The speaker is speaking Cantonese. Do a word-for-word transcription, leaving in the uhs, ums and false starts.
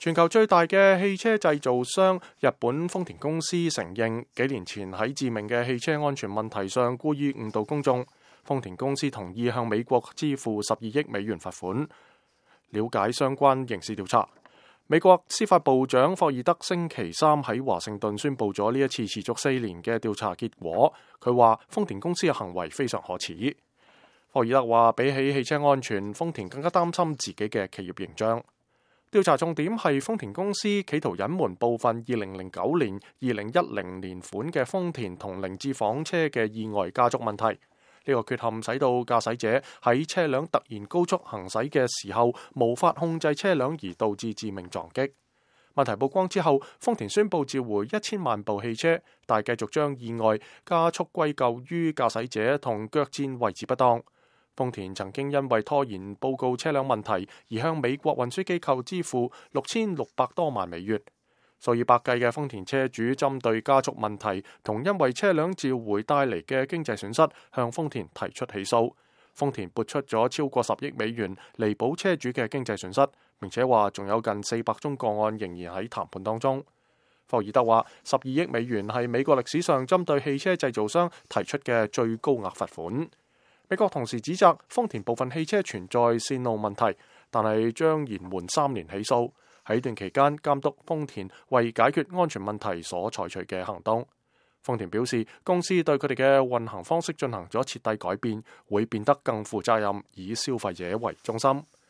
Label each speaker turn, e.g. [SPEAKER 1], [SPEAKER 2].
[SPEAKER 1] 全球最大嘅汽車製造商日本豐田公司承認，幾年前喺致命嘅汽車安全問題上故意誤導公眾。豐田公司同意向美國支付十二億美元罰款，了解相關刑事調查。美國司法部長霍爾德星期三喺華盛頓宣布咗呢一次持續四年嘅調查結果。佢話豐田公司嘅行為非常可恥。霍爾德話，比起汽車安全，豐田更加擔心自己嘅企業形象。調查重點係豐田公司企圖隱瞞部分二零零九年、二零一零年款嘅豐田同凌志房車嘅意外加速問題。呢個缺陷使到駕駛者喺車輛突然高速行駛嘅時候無法控制車輛，而導致致命撞擊。問題曝光之後，豐田宣布召回一千萬部汽車，但繼續將意外加速歸咎於駕駛者同腳墊位置不當。豐田曾經因為拖延報告車輛問題而向美國運輸機構支付六千六百多萬美元。數以百計嘅豐田車主針對加速問題同因為車輛召回帶嚟嘅經濟損失，向豐田提出起訴。豐田撥出咗超過十億美元彌補車主嘅經濟損失，並且話仲有近四百宗個案仍然喺談判當中。霍爾德話，十二億美元係美國歷史上針對汽車製造商提出嘅最高額罰款。美國同時指責豐田部分汽車存在線路問題，但係將延緩三年起訴。喺段期間監督豐田為解決安全問題所採取嘅行動。豐田表示，公司對佢哋嘅運行方式進行咗徹底改變，會變得更負責任，以消費者為中心。